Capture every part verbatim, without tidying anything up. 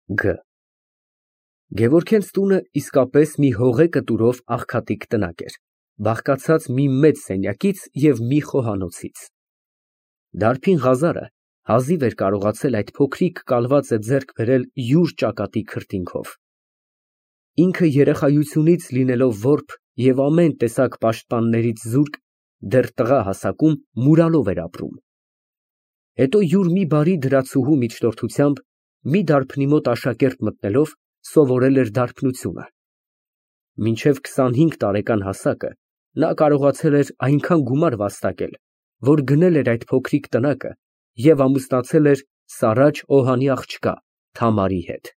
Գ Գևորգյենց տունը իսկապես մի հողե կտուրով աղքատիկ տնակ էր, բաղկացած մի մեծ սենյակից և մի խոհանոցից։ Դարբին Ղազարը հազիվ էր կարողացել այդ փոքրիկ կալվածը ձեռք բերել յուր ճակատի քրտինքով։ Ինքը երեխայությունից լինելով որբ և ամեն տեսակ պաշտպաններից զուրկ, դեռ տղա հասակում մուրալով էր ապրում։ Հետո յուր մի բարի դրացուհու միջնորդությամբ մի դարբնի մոտ աշակերտ մտնելով սովորել էր դարբնությունը։ Մինչև քսանհինգ տարեկան հասակը նա կարողացել էր այնքան գումար վաստակել, որ գնել էր այդ փոքրիկ տնակը և ամուսնացել էր Սարաջ Օհանի աղջկա Թամարի հետ։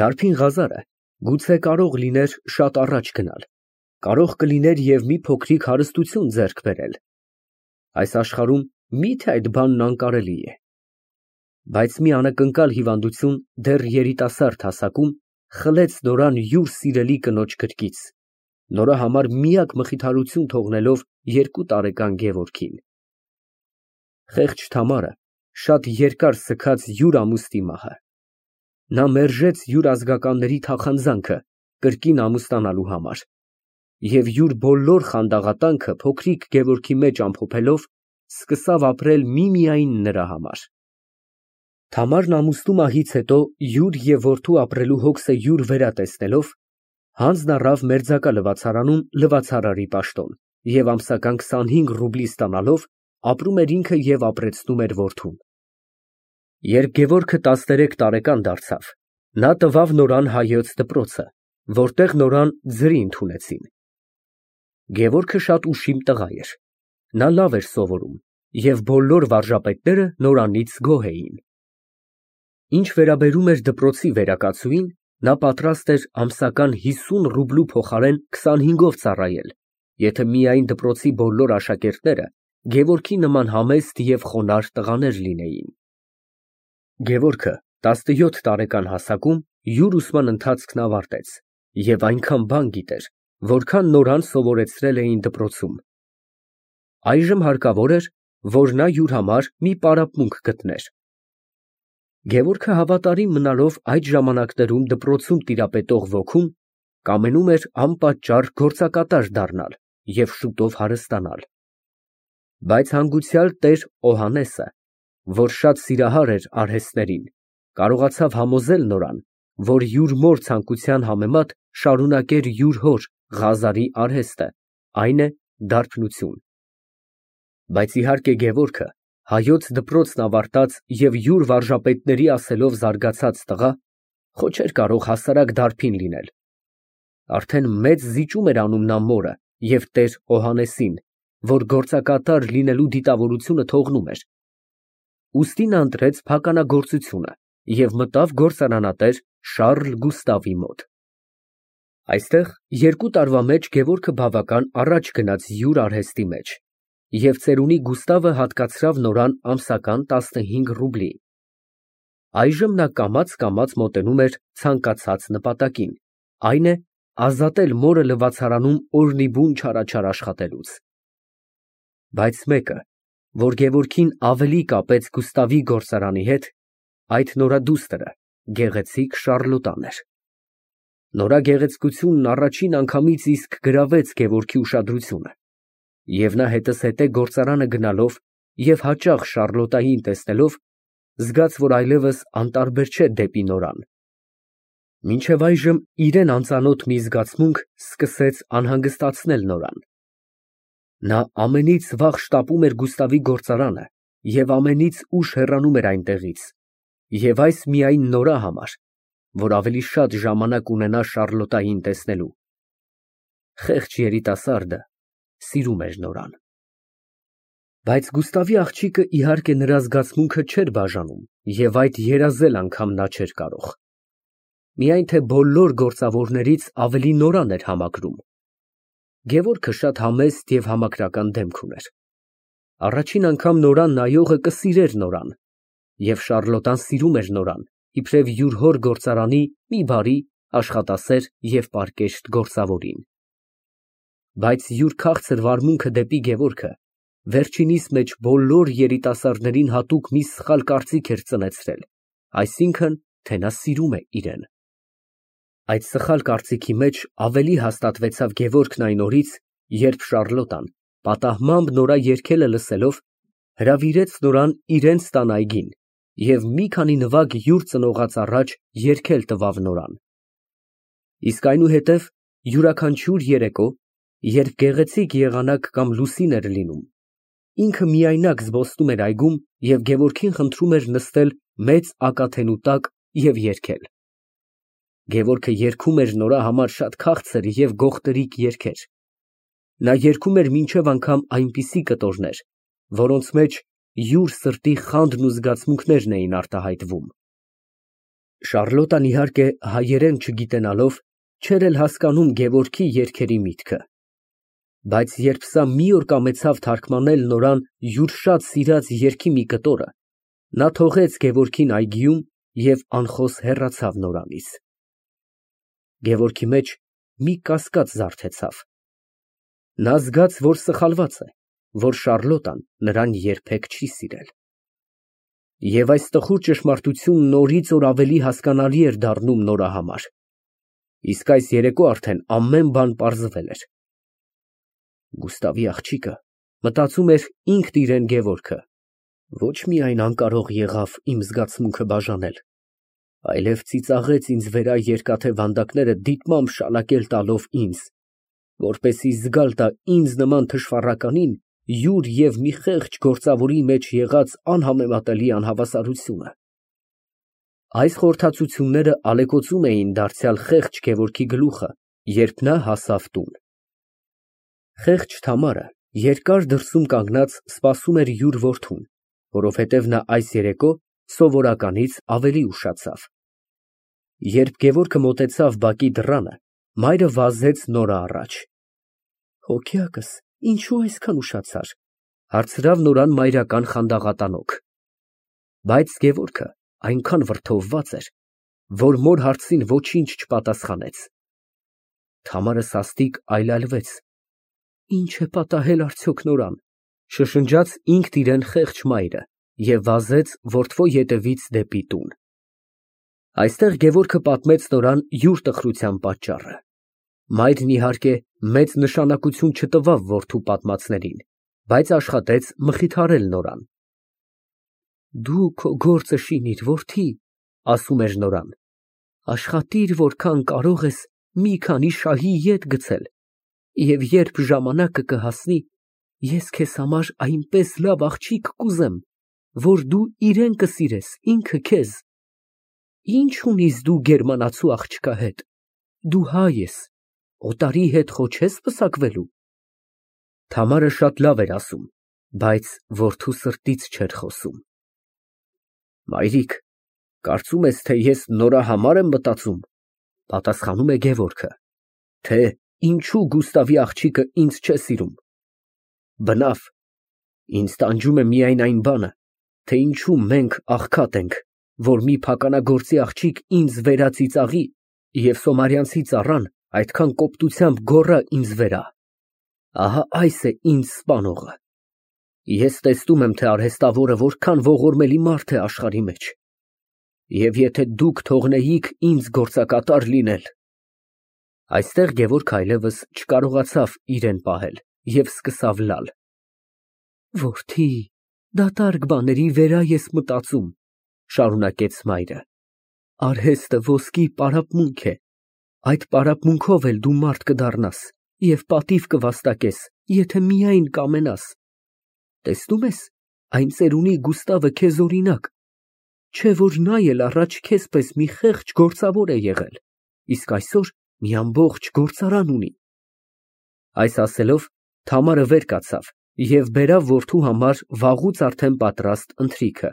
Դարբին Ղազարը գուցե կարող լիներ շատ առաջ գնալ, կարող կլիներ և մի փոքրիկ հարստություն ձեռք բերել։ Այս աշխարհում մի՞թե այդ բանն անկարելի է։ Բայց մի անակնկալ հիվանդություն դեռ երիտասարդ հասակում խլեց Նորան յուր սիրելի կնոջ գրկից, նրա համար միակ մխիթարություն թողնելով երկու տարեկան Գևորգին։ Խեղճ Թամարը շատ երկար սգաց յուր ամուսնի մահը։ Նա մերժեց յուր ազգականների թախանձանքը կրկին ամուսնանալու համար և յուր բոլոր խանդաղատանքը փոքրիկ Գևորգի մեջ ամփոփելով, սկսավ ապրել միմիայն նրա համար։ Թամարն ամուսնու մահից հետո յուր և որդու ապրելու հոգսը յուր վերա տեսնելով, հանձն առավ մերձակա լվացարանում լվացարարի պաշտոն և ամսական քսանհինգ ռուբլի ստանալով ապրում էր ինքը և ապրեցնում էր որդուն։ Երբ Գևորգը տասներեք տարեկան դարձավ, նա տվավ Նորան հայոց դպրոցը, որտեղ Նորան ձրի ընդունեցին։ Գևորգը շատ ուշիմ տղա էր, նա լավ էր սովորում և բոլոր վարժապետները Նորանից գոհ էին։ Ինչ վերաբերում էր դպրոցի վերակացուին, նա պատրաստ էր ամսական հիսուն ռուբլու փոխարեն քսանհինգով ծառայել, եթե միայն դպրոցի բոլոր աշակերտները Գևորգի նման համեստ և խոնարհ տղաներ լինեին։ Գևորգը տասնյոթ տարեկան հասակում յուր ուսման ընթացքն ավարտեց և այնքան բան գիտեր, որքան Նորան սովորեցրել էին դպրոցում։ Այժմ հարկավոր էր, որ նա յուր համար մի պարապմունք գտներ։ Գևորգը հավատարիմ մնալով այդ ժամանակներում դպրոցում տիրապետող ոգուն, կամենում էր անպատճառ գործակատար դառնալ և շուտով հարստանալ։ Բայց հանգուցյալ տեր Օհաննեսը, որ շատ սիրահար էր արհեստներին, կարողացավ համոզել Նորան, որ յուր մոր ցանկության համեմատ շարունակեր յուր հոր Ղազարի արհեստը, այն է դարբնություն։ Բայց իհարկե Գևորգը, հայոց դպրոցն ավարտած և յուր վարժապետների ասելով զարգացած տղա, խո չէր կարող հասարակ դարբին լինել։ Արդեն մեծ զիջում էր անում նա մորը և տեր Օհաննեսին, որ գործակատար լինելու դիտավորությունը թողնում էր։ Ուստի նա ընտրեց փականագործությունը և մտավ գործարանատեր Շառլ Գուստավի մոտ։ Այստեղ երկու տարվա մեջ Գևորգը բավական առաջ գնաց յուր արհեստի մեջ, և ծերունի Գուստավը հատկացրավ Նորան ամսական տասնհինգ ռուբլի։ Այժմ նա կամաց֊կամաց մոտենում էր ցանկացած նպատակին, այն է ազատել մորը լվացարանում օրնիբուն չարաչար աշխատելուց։ Բայց մեկը, որ Գևորգին ավելի կապեց Գուստավի գործարանի հետ, այդ նորադուստր, գեղեցիկ Շառլոտան էր։ Նրա գեղեցկությունն առաջին անգամից իսկ գրավեց Գևորգի ուշադրությունը, և նա հետզհետե գործարանը գնալով և հաճախ Շառլոտային տեսնելով, զգաց, որ այլևս անտարբեր չէ դեպի Նորան։ Մինչև այժմ իրան անծանոթ մի զգացմունք սկսեց անհանգստացնել Նորան։ Նա ամենից վաղ շտապում էր Գուստավի գործարանը և ամենից ուշ հեռանում էր այնտեղից, և այս միայն Նորա համար, որ ավելի շատ ժամանակ ունենա Շառլոտային տեսնելու։ Խեղճ երիտասարդը սիրում էր Նորան։ Բայց Գուստավի աղջիկը իհարկե նրա զգացմունքը չէր բաժանում և այդ երազել անգամ նա չէր կարող։ Միայն թե բոլոր գործավորներից ավելի Նորան էր համակրում։ Գևորգը շատ համեստ և համակրական դեմք ուներ։ Առաջին անգամ Նորան նայողը կսիրեր Նորան, և Շառլոտան սիրում էր Նորան, իբրև յուր հոր գործարանի մի բարի, աշխատասեր և պարկեշտ գործավորին։ Բայց յուր քաղցր վարմունքը դեպի Գևորգը վերջինիս մեջ բոլոր երիտասարդներին հատուկ մի սխալ կարծիք էր ծնեցրել, այսինքն՝ թե նա սիրում է իրեն։ Այդ սխալ կարծիքի մեջ ավելի հաստատվեցավ Գևորգն այն օրից, երբ Շառլոտան, պատահմամբ նորա երգելը լսելով, հրավիրեց նորան իրենց տան այգին և մի քանի նվագ յուր ծնողաց առաջ երգել տվավ նորան։ Իսկ այնուհետև յուրաքանչյուր երեկո, երբ գեղեցիկ եղանակ կամ լուսին էր լինում, ինքը միայնակ զբոսնում էր այգում և Գևորգին խնդրում էր նստել մեծ ակաթենու տակ և երգել։ Գևորգը երգում էր նորա համար շատ քաղցր և գողտրիկ երգեր։ Նա երգում էր մինչև անգամ այնպիսի կտորներ, որոնց մեջ յուր սրտի խանդն ու զգացմունքներն էին արտահայտվում։ Շառլոտան, իհարկե, հայերեն չգիտենալով, չէր էլ հասկանում Գևորգի երգերի միտքը։ Բայց երբ սա մի օր կամեցավ թարգմանել նորան յուր շատ սիրած երգի մի կտորը, նա թողեց Գևորգին այգիում և անխոս հեռացավ նորանից։ Գևորգի մեջ մի կասկած զարթեցավ։ Նա զգաց, որ սխալված է, որ Շառլոտան նրան երբեք չի սիրել։ Եվ այս տխուր ճշմարտությունն օրից օր ավելի հասկանալի էր դառնում նորա համար։ Իսկ այս երեկո արդեն ամեն բան պարզվել էր։ Գուստավի աղջիկը, մտածում էր ինքն իրեն Գևորգը, ոչ միայն անկարող եղավ իմ զգացմունքը բաժանել, այլև ծիծաղեց ինձ վրա երկաթե վանդակները դիտմամբ շալակել տալով ինձ, որպեսզի զգալ տա ինձ նման թշվառականին յուր և մի խեղճ գործավորի մեջ եղած անհամեմատելի անհավասարությունը։ Այս խորհրդածությունները ալեկոծում էին դարձյալ խեղճ Գևորգի գլուխը, երբ նա հասավ տուն։ Խեղճ Թամարը երկար դրսում կանգնած սպասում էր յուր որդուն, որովհետև նա այս երեկո սովորականից ավելի ուշացավ։ Երբ Գևորգը մոտեցավ բակի դռանը, մայրը վազեց նորը առաջ։ Հոգյակս, ինչո՞ւ այսքան ուշացար, հարցրավ նորան մայրական խանդաղատանոք։ Բայց Գևորգը այնքան վրդովված էր, որ մոր հարցին ոչինչ չպատասխանեց։ Թամարը սաստիկ այլայլվեց։ Ինչ է պատահել արդյոք նորան, շշնջաց ինքն իրեն խեղճ մայրը և վազեց որդվո ետևից դեպի տուն։ Այստեղ Գևորգը պատմեց նորան յուր տխրության պատճառը։ Մայրն, իհարկե, մեծ նշանակություն չտվավ որդու պատմածներին, բայց աշխատեց մխիթարել նորան։ Դու քո գործը շինիր, որդի, ասում էր նորան, աշխատիր որքան կարող ես մի քանի շահի ետ գցել, և երբ ժամանակը կհասնի, ես քեզ համար այնպես լավ աղջիկ կուզեմ, որ դու իրեն կսիրես ինքը քեզ։ Ինչ ունիս դու գերմանացու աղջկա հետ, դու հայ ես, օտարի հետ խո չես պսակվելու։ Թամարը շատ լավ էր ասում, բայց որդու սրտից չէր խոսում։ Մայրիկ, կարծում ես, թե ես նորա համար եմ մտածում, պատասխանում է Գևորգը, թե ինչու Գուստավի աղջիկը ինձ չէ սիրում։ Բնավ, ինձ տանջում է միայն այն բանը, թե ինչու մենք աղքատ ենք, որ մի փականագործի աղջիկ ինձ վերածիծաղի և Սոմարյանցի ծառան այդքան կոպտությամբ գոռա ինձ վրա։ Ահա այս է ինձ սպանողը։ Ես տեսնում եմ, թե արհեստավորը որքան ողորմելի մարդ է աշխարհի մեջ։ Եվ եթե դուք թողնեիք ինձ գործակատար լինել… Այստեղ Գևորգը այլևս չկարողացավ իրեն պահել և սկսավ լալ։ Որդի, դատարկ բաների վրա ես մտածում, շարունակեց մայրը։ Արհեստը ոսկի պարապմունք է, այդ պարապմունքով էլ դու մարդ կդառնաս և պատիվ կվաստակես, եթե միայն կամենաս։ Տեսնում ես, այն ծերունի Գուստավը քեզ օրինակ, չէ՞ որ նա էլ առաջ քեզ պես մի խեղճ գործավոր է եղել, իսկ այսօր մի ամբողջ գործարան ունի։ Այս ասելով, Թամարը վեր կացավ և բերավ որդու համար վաղուց արդեն պատրաստ ընթրիքը,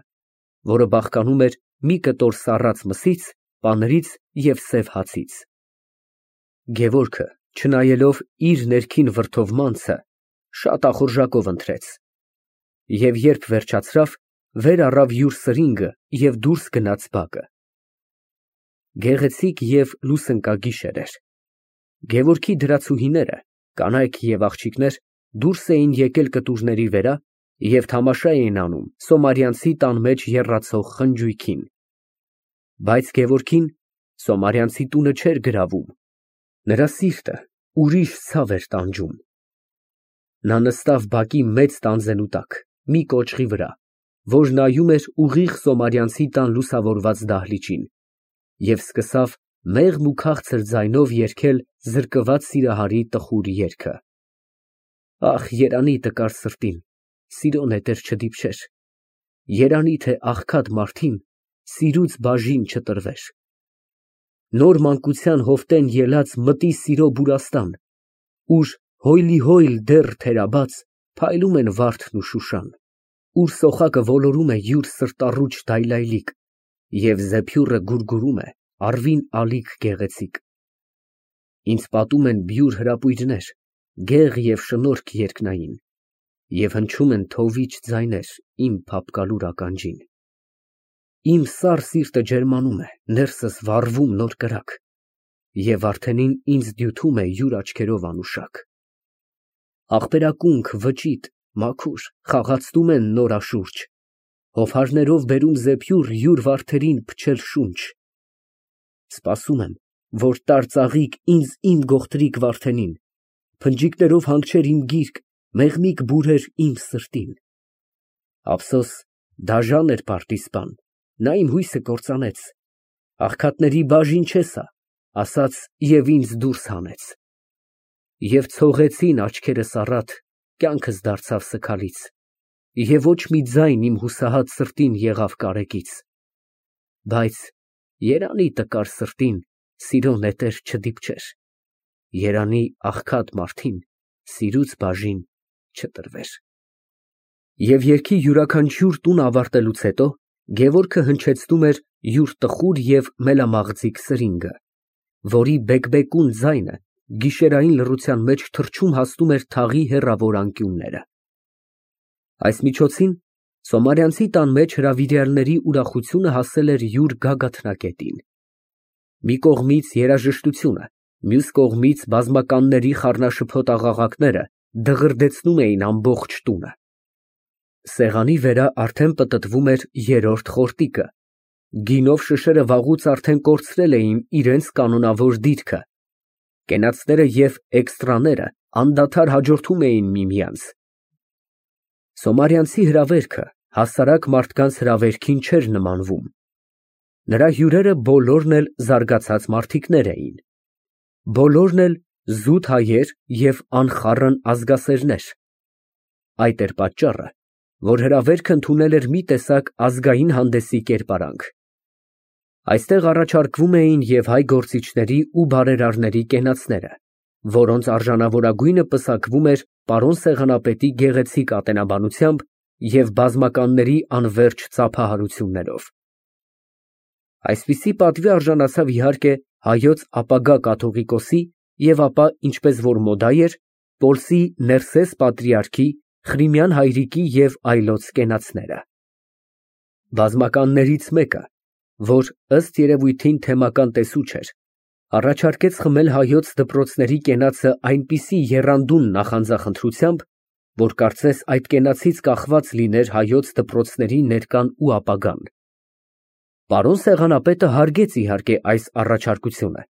որը բաղկանում էր մի կտոր սառած մսից, պանրից և սև հացից։ Գևորգը, չնայելով իր ներքին վրդովմանցը, շատ ախորժակով ընթրեց։ Եվ երբ վերջացրավ, վեր առավ յուր սրինգը և դուրս գնաց բակը։ Գեղեցիկ և լուսընկագիշեր էր։ Գևորգի դրացուհիները, կանայք և աղջիկներ, դուրս էին եկել կտուրների վերա և թամաշա էին անում Սոմարյանցի տան մեջ եռացող խնջույքին։ Բայց Գևորգին Սոմարյանցի տունը չէր գրավում, նրա սիրտը ուրիշ ցավ էր տանջում։ Նա նստավ բակի մեծ տանձենու տակ, մի կոճղի վրա, որ նայում էր ուղիղ Սոմարյանցի տան լուսավորված դահլիճին, և սկսավ մեղմ ու քաղցր ձայնով երգել զրկված սիրահարի տխուր երգը. Ախ, երանի տկար սրտին, սիրո նետեր չդիպչեր, երանի թե աղքատ մարդին սիրուց բաժին չտրվեր։ Նոր մանկության հովտեն ելած մտի սիրո բուրաստան, ուր հոյլիհոյլ դեռ թերաբաց փայլում են վարդն ու շուշան, ուր սոխակը ոլորում է յուր սրտառուչ դայլայլիկ, և զեփյուռը գուրգուրում է առվին ալիք գեղեցիկ։ Ինձ պատում են բյուր հրապույրներ, գեղ և շնորք երկնային, և հնչում են թովիչ ձայներ իմ փափկալուր ականջին։ Իմ սառ սիրտը ջերմանում է, ներսս վառվում նոր կրակ, և վարդենին ինձ դյութում է յուր աչքերով անուշակ։ Աղբերակունք, վճիտ, մաքուր, խաղացնում են նոր աշուրջ, հովհարներով բերում զեփյուռ յուր վարդերին փչել շունչ։ Սպասում եմ, որ տար ծաղիկ ինձ իմ գողտրիկ վարդենին, փնջիկներով հանգչեր իմ գիրկ, մեղմիկ բուրեր իմ սրտին։ Ափսոս, դաժան էր պարտիզպան, նա իմ հույսը կործանեց, աղքատների բաժին չես, ասաց և ինձ դուրս հանեց։ Եվ ցողեցին աչքերս առատ, կյանքս դարձավ սգալից, և ոչ մի ձայն իմ հուսահատ սրտին եղավ կարեկից։ Բայց երանի տկար սրտին սիրո նետեր չդիպչեր, երանի աղքատ մարդին սիրուց բաժին չտրվեր։ Եվ երգի յուրաքանչյուր տուն ավարտելուց հետո Գևորգը հնչեցնում էր յուր տխուր և մելամաղձիկ սրինգը, որի բեկբեկուն ձայնը գիշերային լռության մեջ թռչում հասնում էր թաղի հեռավոր անկյունները։ Այս միջոցին Սոմարյանցի տան մեջ հրավիրյալների ուրախությունը հասել էր յուր գագաթնակետին։ Մի կողմից երաժշտությունը, մյուս կողմից բազմականների խառնաշփոթ աղաղակները դղրդեցնում էին ամբողջ տունը։ Սեղանի վերա արդեն պտտվում էր երրորդ խորտիկը, գինով շշերը վաղուց արդեն կորցրել էին իրենց կանոնավոր դիրքը, կենացները և էքստրաները անդադար հաջորդում էին միմյանց։ Սոմարյանցի հրավերքը հասարակ մարդկանց հրավերքին չէր նմանվում։ Նրա հյուրերը բոլորն էլ զարգացած մարդիկներ էին, բոլորն էլ զուտ հայեր և անխառն ազգասերներ։ Այդ էր պատճառը, որ հրավերքը ընդունել էր մի տեսակ ազգային հանդեսի կերպարանք։ Այստեղ առաջարկվում էին և հայ գործիչների ու բարերարների կենացները, որոնց արժանավորագույնը պսակվում էր պարոն սեղանապետի գեղեցիկ ատենաբանությամբ և բազմականների անվերջ ծափահարություններով։ Այսպիսի պատվի արժանացավ իհարկե հայոց ապագա կաթողիկոսի և ապա, ինչպես որ մոդա էր, Պոլսի Ներսես պատրիարքի, Խրիմյան հայրիկի և այլոց կենացները։ Բազմականներից մեկը, որ ըստ երևույթին թեմական տեսուչ էր, առաջարկեց խմել հայոց դպրոցների կենացը այնպիսի եռանդուն նախանձախնդրությամբ, որ կարծես այդ կենացից կախված լիներ հայոց դպրոցների ներկան ու ապագան։ Պարոն սեղանապետը հարգեց իհարկե այս առաջարկությունը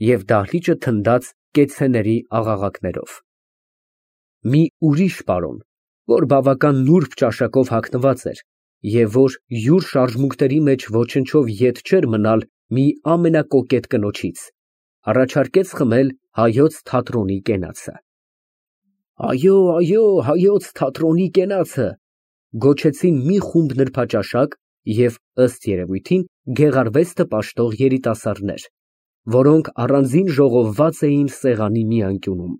և դահլիճը թնդաց կեցցեների աղաղակներով։ Մի ուրիշ պարոն, որ բավական նուրբ ճաշակով հագնված էր և որ յուր շարժմունքների մեջ ոչնչով ետ չէր մնալ մի ամենակոկետ կնոջից, առաջարկեց խմել հայոց թատրոնի կենացը։ Այո, այո, հայոց թատրոնի կենացը, գոչեցին մի խումբ նրբաճաշակ և, ըստ երևույթին, գեղարվեստը պաշտող երիտասարդներ, որոնք առանձին ժողովված էին սեղանի մի անկյունում։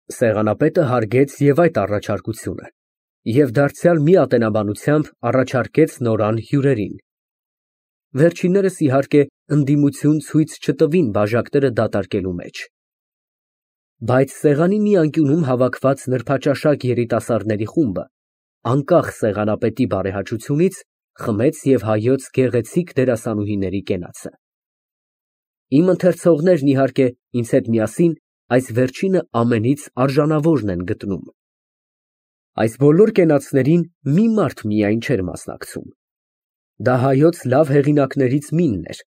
Սեղանապետը հարգեց և այդ առաջարկությունը և դարձյալ մի ատենաբանությամբ առաջարկեց նորան հյուրերին։ Վերջիններս, իհարկե, ընդդիմություն ցույց չտվին բաժակները դատարկելու մեջ։ Բայց սեղանի մի անկյունում հավաքված նրբաճաշակ երիտասարդների խումբը, անկախ սեղանապետի բարեհաճությունից, խմեց և հայոց գեղեցիկ դերասանուհիների կենացը։ Իմ ընթերցողներն, իհարկե, ինձ հետ միասին այս վերջինը ամենից արժանավորն են գտնում։ Այս բոլոր կենացներին մի մարդ միայն չէր մասնակցում։ Դա հայոց լավ հեղինակներից մինն էր,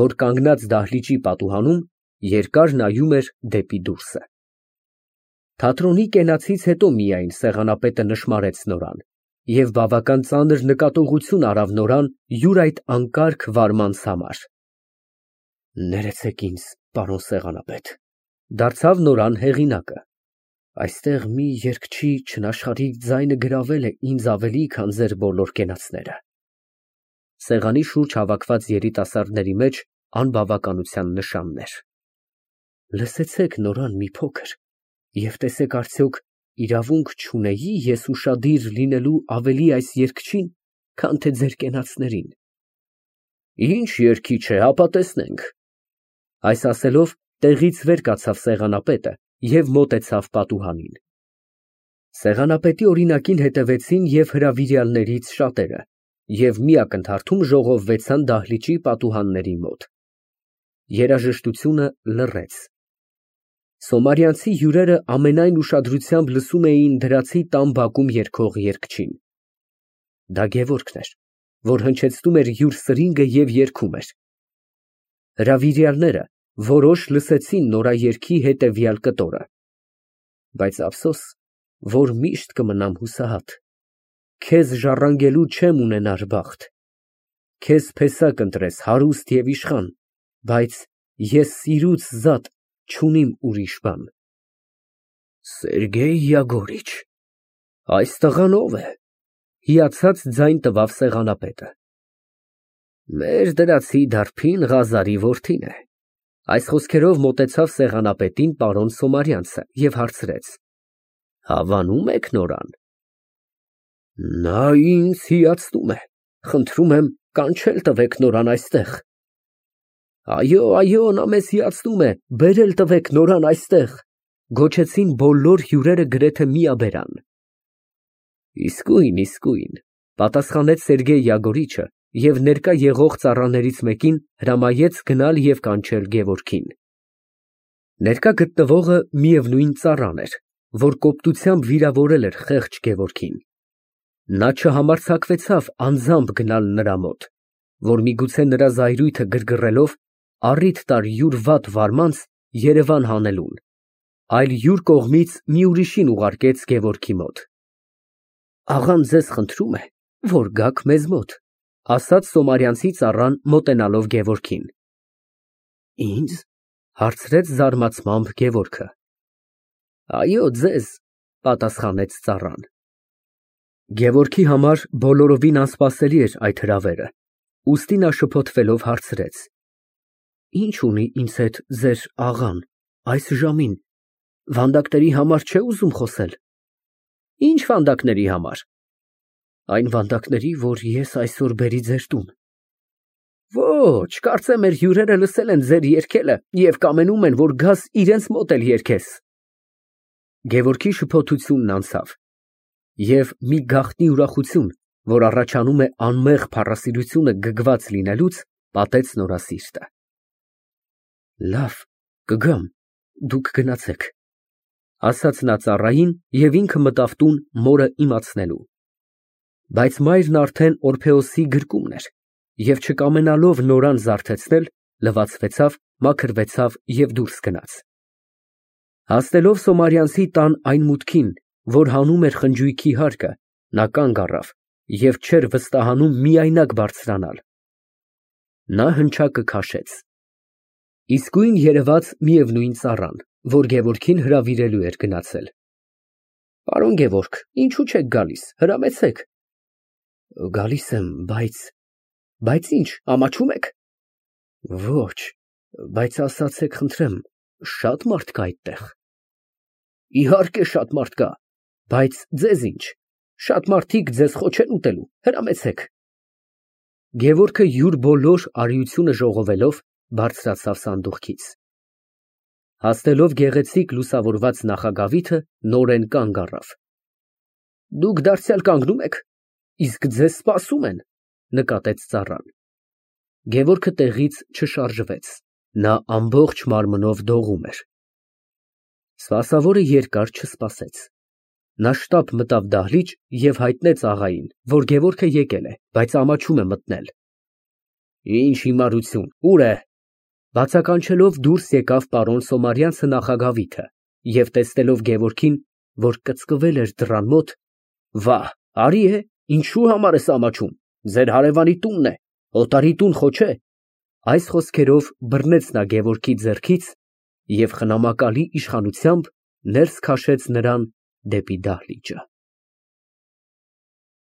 որ կանգնած դահլիճի պատուհանում երկար նայում էր դեպի դուրսը։ Թատրոնի կենացից հետո միայն սեղանապետը նշմարեց նորան և բավական ծանր նկատողություն արավ նորան յուր այդ անկարգ վարմանց համար։ Ներեցեք ինձ, պարոն սեղանապետ, դարձավ նորան հեղինակը, այստեղ մի երգչի չնաշխարհիկ ձայնը գրավել է ինձ ավելի, քան ձեր բոլոր կենացները։ Սեղանի շուրջ հավաքված երիտասարդների մեջ անբավականության նշաններ։ Լսեցեք նորան մի փոքր և տեսեք արդյոք իրավունք չունեի ես ուշադիր լինելու ավելի այս երգչին, քան թե ձեր կենացներին։ Ինչ երգիչ է, հապա տեսնենք։ Այս ասելով տեղից վեր կացավ սեղանապետը և մոտեցավ պատուհանին։ Սեղանապետի օրինակին հետևեցին և հրավիրյալներից շատերը և մի ակնթարթում ժողովվեցան դահլիճի պատուհանների մոտ։ Երաժշտությունը լռեց։ Սոմարյանցի հյուրերը ամենայն ուշադրությամբ լսում էին դրացի տան բակում երգող երգչին։ Դա Գևորգն էր, որ հնչեցնում էր յուր սրինգը և երգում էր։ Հրավիրյալները որոշ լսեցին նորաերգի հետևյալ կտորը. բայց ափսոս, որ միշտ կմնամ հուսահատ, քեզ ժառանգելու չեմ ունենար բախտ, քեզ փեսակ ընտրես հարուստ և իշխան, բայց ես սիրուց զատ չունիմ ուրիշ բան։ Սերգեյ Յագորիչ, այս տղան ո՞վ է, հիացած ձայն տվավ սեղանապետը։ Մեր դրացի դարբին Ղազարի որդին է։ Այս խոսքերով մոտեցավ սեղանապետին պարոն Սոմարյանցը և հարցրեց. Հավանո՞ւմ եք նորան։ Նա ինձ հիացնում է, խնդրում եմ կանչել տվեք նորան այստեղ։ Այո, այո, նա մեզ հիացնում է, բերել տվեք նորան այստեղ, գոչեցին բոլոր հյուրերը գրեթե միաբերան։ Իսկույն, իսկույն, պատասխանեց Սերգեյ Յագորիչը և ներկա եղող ծառաներից մեկին հրամայեց գնալ և կանչել Գևորգին։ Ներկա գտնվողը միևնույն ծառան էր, որ կոպտությամբ վիրավորել էր խեղճ Գևորգին։ Նա չհամարձակվեցավ անձամբ գնալ նրա մոտ, որ միգուցե նրա զայրույթը գրգռելով առիթ տար յուր վատ վարմանց երևան հանելուն, այլ յուր կողմից մի ուրիշին ուղարկեց Գևորգի մոտ։ Աղան ձեզ խնդրում է, որ գաք մեզ մոտ, ասաց Սոմարյանցի ծառան մոտենալով Գևորգին։ Ինձ, հարցրեց զարմացմամբ Գևորգը։ Այո, ձեզ, պատասխանեց ծառան։ Գևորգի համար բոլորովին անսպասելի էր այդ հրավերը, ուստի նա շփոթվելով հարցրեց. Ինչ ունի ինձ հետ ձեր աղան այս ժամին, վանդակների համար չէ ուզում խոսել։ Ինչ վանդակների համար։ Այն վանդակների, որ ես այսօր բերի ձեր տուն։ Ոչ, կարծեմ մեր հյուրերը լսել են ձեր երգելը և կամենում են, որ գաս իրենց մոտ էլ երգես։ Գևորգի շփոթությունն անցավ, և մի գաղտնի ուրախություն, որ առաջանում է անմեղ փառասիրությունը գգված լինելուց, պատեց նորասիրտը։ Լավ, կգամ, դուք գնացեք, ասաց նա ծառային և ինքը մտավ տուն մորը իմացնելու։ Բայց մայրն արդեն Օրփեոսի գրկումն էր և չկամենալով նորան զարթեցնել, լվացվեցավ, մաքրվեցավ և դուրս գնաց։ Հասնելով Սոմարյանցի տան այն մուտքին, որ հանում էր խնջույքի հարկը, նա կանգ առավ և չէր վստահանում միայնակ բարձրանալ։ Նա հնչակը քաշեց։ Իսկույն երևաց միևնույն ծառան, որ Գևորգին հրավիրելու էր գնացել։ Պարոն Գևորգ, ինչու չեք գալիս, հրամեցեք։ Գալիս եմ, բայց… Բայց ինչ, ամաչո՞ւմ եք։ Ոչ, բայց ասացեք խնդրեմ, շա՞տ մարդ կա այդտեղ։ Իհարկե շատ մարդ կա, բայց ձեզ ինչ, շատ մարդիկ ձեզ խո չեն ուտելու, հրամեցեք։ Գևորգը յուր բոլոր արիությունը ժողովելով բարձրացավ սանդուղքից։ Հասնելով գեղեցիկ լուսավորված նախագավիթը, նորեն կանգ առավ։ Դուք դարձյալ կանգնո՞ւմ եք, իսկ ձեզ սպասում են, նկատեց ծառան։ Գևորգը տեղից չշարժվեց, նա ամբողջ մարմնով դողում էր։ Սպասավորը երկար չսպասեց։ Նա շտապ մտավ դահլիճ և հայտնեց աղային, որ Գևորգը եկել է, բայց ամաչում է մտնել։ Ինչ հիմարություն, ո՞ւր է։ Բացականչելով դուրս եկավ պարոն Սոմարյանցը նախագավիթը և տեսնելով Գևորգին, որ կծկվել էր դռան մոտ, վա, արի է, ինչի՞ւ համար ես ամաչում, ձեր հարևանի տունն է, օտարի տուն խո չէ։ Այս խոսքերով բռնեց նա Գևորգի ձեռքից և խնամակալի իշխանությամբ ներս քաշեց նրան դեպի դահլիճը։